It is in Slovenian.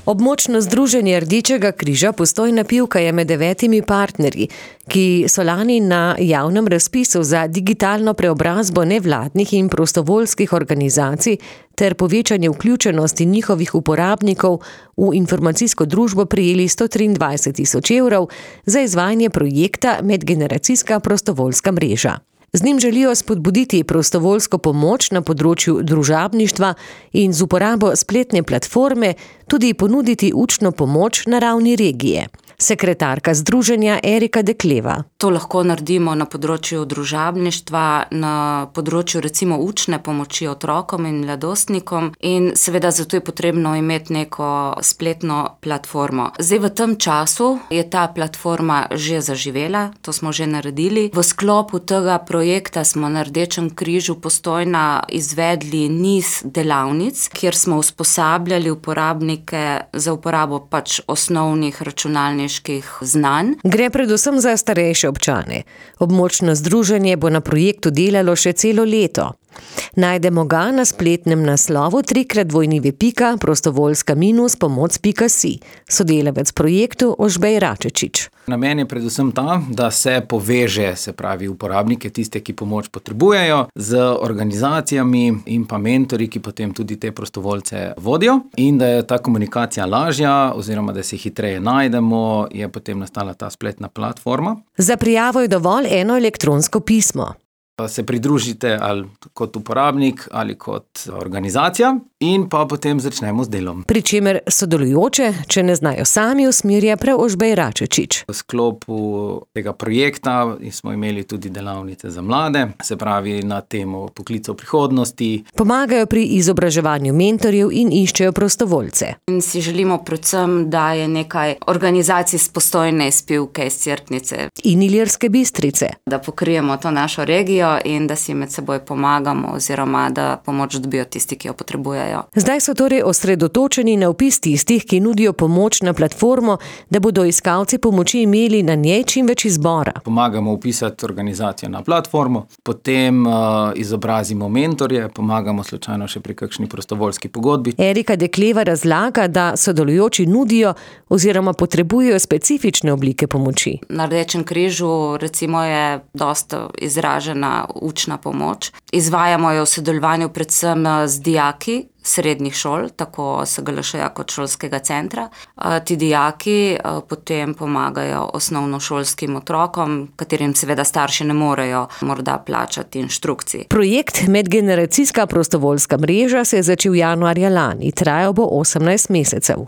Območno združenje Rdečega križa Postojna Pivka je med 9 partnerji, ki so lani na javnem razpisu za digitalno preobrazbo nevladnih in prostovoljskih organizacij ter povečanje vključenosti njihovih uporabnikov v informacijsko družbo prejeli 123 000 evrov za izvajanje projekta Medgeneracijska prostovoljska mreža. Z njim želijo spodbuditi prostovoljsko pomoč na področju družabništva in z uporabo spletne platforme tudi ponuditi učno pomoč na ravni regije. Sekretarka združenja Erika Dekleva. To lahko naredimo na področju družabništva, na področju recimo učne pomoči otrokom in mladostnikom in seveda zato je potrebno imeti neko spletno platformo. Zdaj v tem času je ta platforma že zaživela, to smo že naredili. V sklopu tega projekta smo na Rdečem križu Postojna izvedli niz delavnic, kjer smo usposabljali uporabnike za uporabo osnovnih računalniških znanj. Gre predvsem za starejše občane. Območno združenje bo na projektu delalo še celo leto. Najdemo ga na spletnem naslovu www.prostovoljska-pomoc.si. Sodelavec projektu Ožbej Račečič. Namen je predvsem ta, da se poveže, se pravi uporabnike, tiste, ki pomoč potrebujejo, z organizacijami in pa mentorji, ki potem tudi te prostovoljce vodijo, in da je ta komunikacija lažja oziroma da se hitreje najdemo, je potem nastala ta spletna platforma. Za prijavo je dovolj eno elektronsko pismo. Se pridružite ali kot uporabnik ali kot organizacija in pa potem začnemo z delom. Pri čemer sodelujoče, če ne znajo sami, usmerja prav Ožbej Račečič. V sklopu tega projekta smo imeli tudi delavnice za mlade, se pravi na temo poklicov prihodnosti. Pomagajo pri izobraževanju mentorjev in iščejo prostovoljce. In si želimo predvsem, da je nekaj organizacij iz Postojne, iz Pivke, iz Cerknice in Ilirske Bistrice. Da pokrijemo to našo regijo in da si med seboj pomagamo oziroma da pomoč dobijo tisti, ki jo potrebujejo. Zdaj so torej osredotočeni na vpis tistih, ki nudijo pomoč na platformo, da bodo iskalci pomoči imeli na njej čim več izbora. Pomagamo vpisati organizacijo na platformo, potem izobrazimo mentorje, pomagamo slučajno še pri kakšni prostovoljski pogodbi. Erika Dekleva razlaga, da sodelujoči nudijo oziroma potrebujejo specifične oblike pomoči. Na Rdečem križu recimo je dosta izražena učna pomoč. Izvajamo jo v sodelovanju predvsem z dijaki srednjih šol, tako SGLŠ-ja kot šolskega centra. Ti dijaki potem pomagajo osnovnošolskim otrokom, katerim seveda starši ne morejo morda plačati inštrukcij. Projekt Medgeneracijska prostovoljska mreža se je začel januarja lani, trajal bo 18 mesecev.